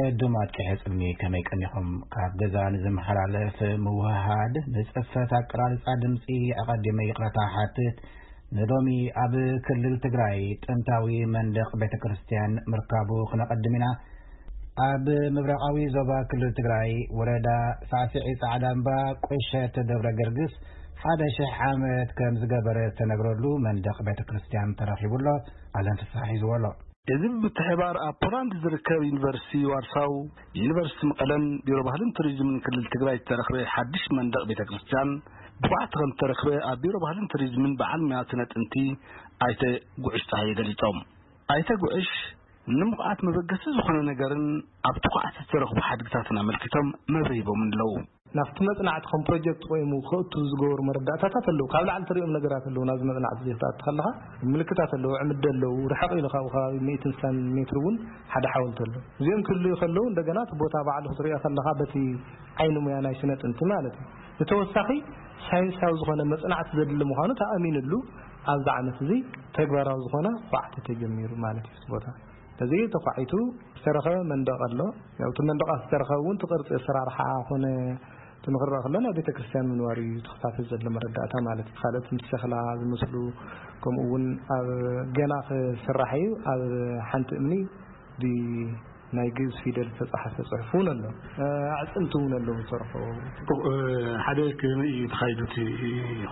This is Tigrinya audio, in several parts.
ዕዱማት ቀሐ ጽልሚ ከመይ ቀኒኹም? ካብ ገዛ ንዝመሓላለፍ ምውህሃድ ንጽፈት ኣቀራርጻ ድምጺ ኣቐዲመ ይቕረታ ሓትት። ንሎሚ ኣብ ክልል ትግራይ ጥንታዊ መንደቕ ቤተ ክርስቲያን ምርካቡ ክነቐድም ኢና። ኣብ ምብራቓዊ ዞባ ክልል ትግራይ ወረዳ ሳዕስዒ ጻዕዳ እምባ ቁሸት ደብረ ገርግስ ሓደ ሽሕ ዓመት ከም ዝገበረ እተነግረሉ መንደቕ ቤተ ክርስቲያን ተረኺቡ ኣሎ። ኣለም ፍስሓ ሒዝዎ ኣሎ። እዚ ብምትሕባር ኣብ ፖላንድ ዝርከብ ዩኒቨርሲቲ ዋርሳው፣ ዩኒቨርሲቲ መቐለን ቢሮ ባህልን ቱሪዝምን ክልል ትግራይ ዝተረኽበ ሓድሽ መንደቕ ቤተ ክርስቲያን ብቑዓት ከም ዝተረኽበ ኣብ ቢሮ ባህልን ቱሪዝምን በዓል ሞያ ስነ ጥንቲ ኣይተ ጉዕሽ ጸሃየ ገሊጾም። ኣይተ ጉዕሽ፣ ንምቑዓት መበገሲ ዝኾነ ነገርን ኣብ ትኩዓት ዝተረኽቡ ሓድግታትን ኣመልኪቶም መብርሂ ሂቦም ኣለዉ። ናብቲ መጽናዕቲ ከም ፕሮጀክት ኮይኑ ክእቱ ዝገበሩ መረዳእታታት ኣለዉ። ካብ ላዕሊ ትሪኦም ነገራት ኣለዉ። ናብዚ መጽናዕቲ እዚ ክትኣቱ ከለኻ ምልክታት ኣለዉ፣ ዕምዲ ኣለዉ፣ ርሕቕ ኢሉ ካብኡ ከባቢ ሚእትን ስሳን ሜትር እውን ሓደ ሓወልቲ ኣሎ። እዚኦም ክህልዩ ከለዉ እንደገና እቲ ቦታ ባዕሉ ክትሪኦ ከለኻ በቲ ዓይኒ ሙያ ናይ ስነ ጥንቲ ማለት እዩ። ብተወሳኺ ሳይንሳዊ ዝኾነ መጽናዕቲ ዘድሊ ምዃኑ ተኣሚንሉ ኣብዚ ዓመት እዚ ተግባራዊ ዝኾነ ኳዕቲ ተጀሚሩ ማለት እዩ። እቲ ቦታ እዚ ተኳዒቱ ዝተረኸበ መንደቕ ኣሎ። ያው እቲ መንደቕ ዝተረኸበ እውን እቲ ቅርጺ ኣሰራርሓ ኮነ እቲ ንኽረኣ ከሎ ናይ ቤተ ክርስቲያን ምንባር እዩ ተኸታተል ዘሎ መረዳእታ ማለት እዩ። ካልኦት ምስ ሸኽላ ዝመስሉ ከምኡ እውን ኣብ ገና ክስራሕ እዩ። ኣብ ሓንቲ እምኒ ብ ናይ ግእዝ ፊደል ዝተጻሕፈ ጽሑፍ እውን ኣሎ። ኣዕጽምቲ እውን ኣለዉ ዝተረኸቡ። ጽቡቕ፣ እ፣ ሓደ ከመይ እዩ ተኻይዱ እቲ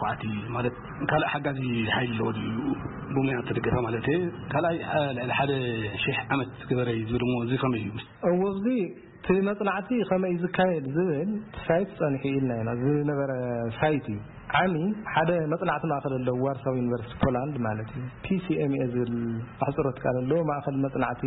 ኹዓቲ? ማለት ካልእ ሓጋዚ ሓይሊ ኣለዎ ድዩ? ብሙያ እተደገፈ ማለት እየ። ካልኣይ፣ እ፣ ልዕሊ ሓደ ሽሕ ዓመት ዝገበረ እዩ ዝብል እሞ እዚ ከመይ እዩ? እዎ፣ እዚ እቲ መጽናዕቲ ከመይ እዩ ዝካየድ ዝብል እቲ ሳይት ጸኒሑ ኢልና ኢና። ዝነበረ ሳይት እዩ። ዓሚ ሓደ መጽናዕቲ ማእከል ኣለዎ ዋርሳው ዩኒቨርሲቲ ፖላንድ ማለት እዩ። ፒ ሲ ኤም ኤ ዝብል ኣሕጽሮት ቃል ኣለዎ፣ ማእከል መጽናዕቲ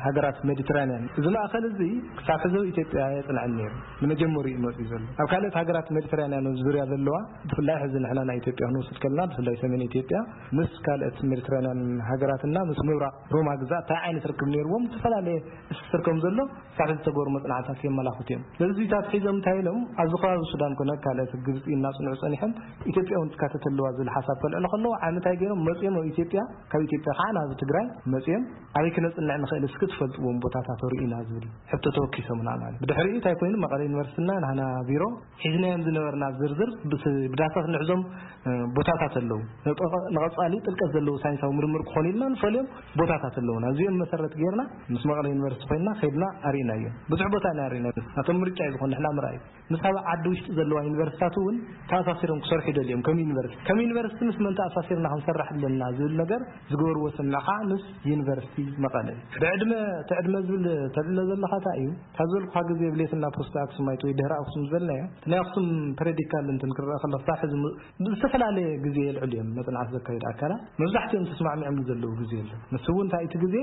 ሃገራት ሜዲትራንያን። እዚ ማእከል እዚ ክሳብ ሕዚ ኣብ ኢትዮጵያ ኣየጽንዐን ነይሩ። ንመጀመሪኡ እዩ መጺኡ ዘሎ። ኣብ ካልኦት ሃገራት ሜዲትራንያን ዙርያ ዘለዋ፣ ብፍላይ ሕዚ ንሕና ናይ ኢትዮጵያ ክንወስድ ከለና፣ ብፍላይ ሰሜን ኢትዮጵያ ምስ ካልኦት ሜዲትራንያን ሃገራትና ምስ ምብራቕ ሮማ ግዛት እንታይ ዓይነት ርክብ ነይርዎም፣ ዝተፈላለየ ትስስር ከም ዘሎ ክሳብ ሕዚ ዝተገበሩ መጽናዕትታት የመላኽቱ እዮም። ስለዚ እዚታት ሒዞም እንታይ ኢሎም፣ ኣብዚ ከባቢ ሱዳን ኮነ ካልኦት ግብጺ እናጽንዑ ጸኒሖም፣ ኢትዮጵያ እውን ትካተት ኣለዋ ዝብል ሓሳብ ከልዕሉ ከለዉ፣ ዓሚ እንታይ ገይሮም መጺኦም ኣብ ኢትዮጵያ፣ ካብ ኢትዮጵያ ከዓ ናብ ትግራይ መጺኦም፣ ኣበይ ክነጽንዕ ንኽእል እስኪ ትፈልጥዎም ቦታታት ርኢና ዝብል ሕቶ ተወኪሶምና ማለት። ብድሕሪኡ እንታይ ኮይኑ፣ መቐለ ዩኒቨርሲቲና ናህና ቢሮ ሒዝናዮም ዝነበርና ዝርዝር ብስ-፣ ብዳታ ክንሕዞም፣ እ፣ ቦታታት ኣለዉ። ንጠ-፣ ንቐጻሊ ጥልቀት ዘለዎ ሳይንሳዊ ምርምር ክኾኑ ኢልና ንፈልዮም ቦታታት ኣለዉና። እዚኦም መሰረት ጌርና ምስ መቐለ ዩኒቨርሲቲ ኮይንና ከይድና ኣርኢናዮም። ብዙሕ ቦታ ኢና ኣርኢናዮም። ናቶም ምርጫ እዩ ዝኾን ንሕና ምርኣይ። ምስ ኣብ ዓዲ ውሽጢ ዘለዋ ዩኒቨርሲታት እውን ተኣሳሲሮም ክሰርሑ ይደልዮም ከም ዩኒቨርሲቲ። ከም ዩኒቨርሲቲ ምስ መን ተኣሳሲርና ክንሰርሕ ኣለና ዝብል ነገር ዝገበርዎ ስምምዕ ከዓ ምስ ዩኒቨርሲቲ መቐለ እዩ። ብዕድመ፣ እቲ ዕድመ ዝብል ተልዕሎ ዘለኻ እንታይ እዩ? ካብ ዝበልኩኻ ግዜ ብሌትና ፖስት ኣክሱማይት ወይ ድሕሪ ኣክሱም ዝበልናዮ፣ እቲ ናይ ኣክሱም ፐረዲካል እንትን ክረኣ ከሎ ክሳብ ሕዚ ም-፣ ብዝተፈላለየ ግዜ የልዕሉ እዮም መጽናዕቲ ዘካየዱ ኣካላት። መብዛሕትኦም ተስማዕሚዖምሉ ዘለዉ ግዜ ኣሎ። ንሱ እውን እንታይ እቲ ግዜ፣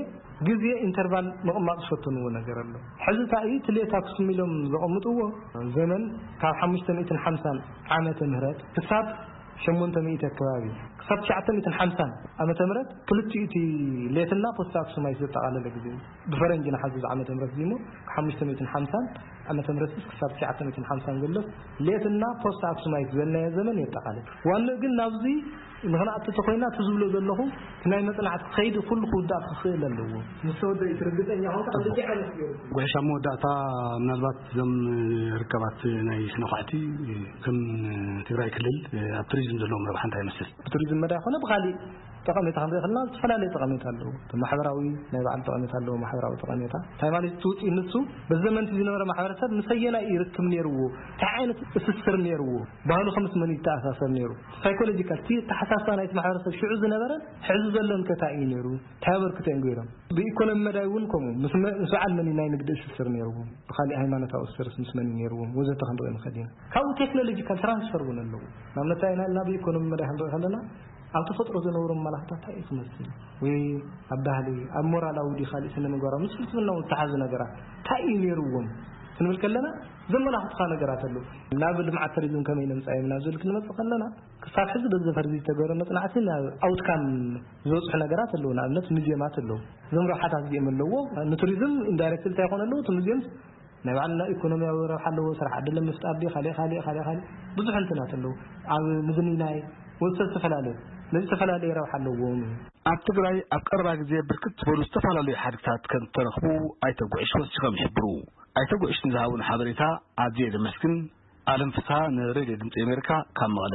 ግዜ ኢንተርቫል ምቕማጥ ዝፈተንዎ ነገር ኣሎ። ሕዚ እንታይ እዩ፣ እቲ ሌት ኣክሱም ኢሎም ዘቐምጥዎ ዘመን ካብ ሓሙሽተ ሚእትን ሓምሳን ዓመተ ምህረት ክሳብ ሸሞንተ ሚእቲ ኣከባቢ፣ ክሳብ ትሽዓተ ሚእትን ሓምሳን ዓመተ ምህረት ክልቲኡ እቲ ሌትና ፖስት ኣክሱማይት ዘጠቓለለ ግዜ እዩ። ብፈረንጂ ንሓዚ ዓመተ ምህረት እዚ እሞ ሓሙሽተ ሚእትን ሓምሳን ዓመተ ምህረት ክሳብ ትሽዓተ ሚእትን ሓምሳን ዘሎ ሌትና ፖስት ኣክሱማይት ዝበልናዮ ዘመን የጠቓልል። ዋንኡ ግን ናብዚ ንኽንኣቱ ተኾይና እቲ ዝብሎ ዘለኹ እቲ ናይ መጽናዕቲ ከይዲ ኩሉ ክውዳእ ክኽእል ኣለዎ። ምስ ተወደአ እቲ ርግጸኛ ኾንካ ኣብዚ ዓይነት ገይሩ። ጉዕሽ፣ ኣብ መወዳእታ ምናልባት እዞም ርካባት ናይ ስነ ኳዕቲ ከም ትግራይ ክልል ኣብ ቱሪዝም ዘለዎም ረብሓ እንታይ ይመስል? ብቱሪዝም መዳይ ኮነ ብኻሊእ ጠቐሜታ ክንርኢ ከለና ዝተፈላለየ ጠቐሜታ ኣለዎ። እቲ ማሕበራዊ ናይ ባዕሉ ጠቐሜታ ኣለዎ፣ ማሕበራዊ ጠቐሜታ። እንታይ ማለት እቲ ውፅኢት ንሱ በዚ ዘመንቲ ዝነበረ ማሕበረሰብ ምስ ኣየናይ እዩ ርክብ ነይርዎ፣ እንታይ ዓይነት ትስስር ነይርዎ፣ ባህሉ ከምስ መን ይተኣሳሰር ነይሩ፣ ሳይኮሎጂካል እቲ ኣተሓሳስባ ናይቲ ማሕበረሰብ ሽዑ ዝነበረ ሕዚ ዘሎን ከ እንታይ እዩ ነይሩ፣ እንታይ ኣበርክቶ እዮም ገይሮም። ብኢኮኖሚ መዳይ እውን ከምኡ ምስ መ-፣ ምስ በዓል መን እዩ ናይ ንግዲ ትስስር ነይርዎም፣ ብኻሊእ ሃይማኖታዊ ትስስርስ ምስ መን እዩ ነይርዎም ወዘተ ክንርኢ ንኽእል ኢና። ካብኡ ቴክኖሎጂካል ትራንስፈር እውን ኣለዎ። ንኣብነት እንታይ ኢና ኢልና ብኢኮኖሚ መዳይ ክንርኢ ከለና ኣብ ተፈጥሮ ዝነብሮም መላኽታት እንታይ እዩ ክመስል ወይ ኣብ ባህሊ፣ ኣብ ሞራላዊ ድዩ ካልእ ስነ ምግባራዊ ምስ ፍልስፍና እውን ዝተሓዙ ነገራት እንታይ እዩ ነይርዎም ክንብል ከለና ዘመላኽቱኻ ነገራት ኣለዉ። ናብ ልምዓት ቱሪዝም ከመይ ነምጻዮም ናብ ዝብል ክንመጽእ ከለና ክሳብ ሕዚ በዚ ፈርዚ ዝተገበረ መጽናዕቲ ናብ ኣውትካም ዝበጽሑ ነገራት ኣለዉ። ንኣብነት ሙዚየማት ኣለዉ። እዞም ረብሓታት እዚኦም ኣለዎ። ንቱሪዝም ኢንዳይሬክት እንታይ ይኾን ኣለዉ? እቲ ሙዚየም ናይ ባዕልና ኢኮኖሚያዊ ረብሓ ኣለዎ። ስራሕ ዕድል ንምፍጣር ድዩ? ካልእ፣ ካልእ፣ ካልእ፣ ካልእ ብዙሕ እንትናት ኣለዉ። ኣብ ምዝንናይ ወዘተ ዝተፈላለዩ ነዚ ዝተፈላለዩ ረብሓ ኣለዎም። ኣብ ትግራይ ኣብ ቀረባ ግዜ ብርክት ዝበሉ ዝተፈላለዩ ሓድግታት ከም ዝተረኽቡ ኣይተ ጉዕሽ ወሲኾም ይሕብሩ። ኣይተ ጉዕሽ ንዝሃቡን ሓበሬታ ኣዝየ ዘመስግን። ኣለም ፍስሃ ንሬድዮ ድምፂ ኣሜሪካ ካብ መቐለ።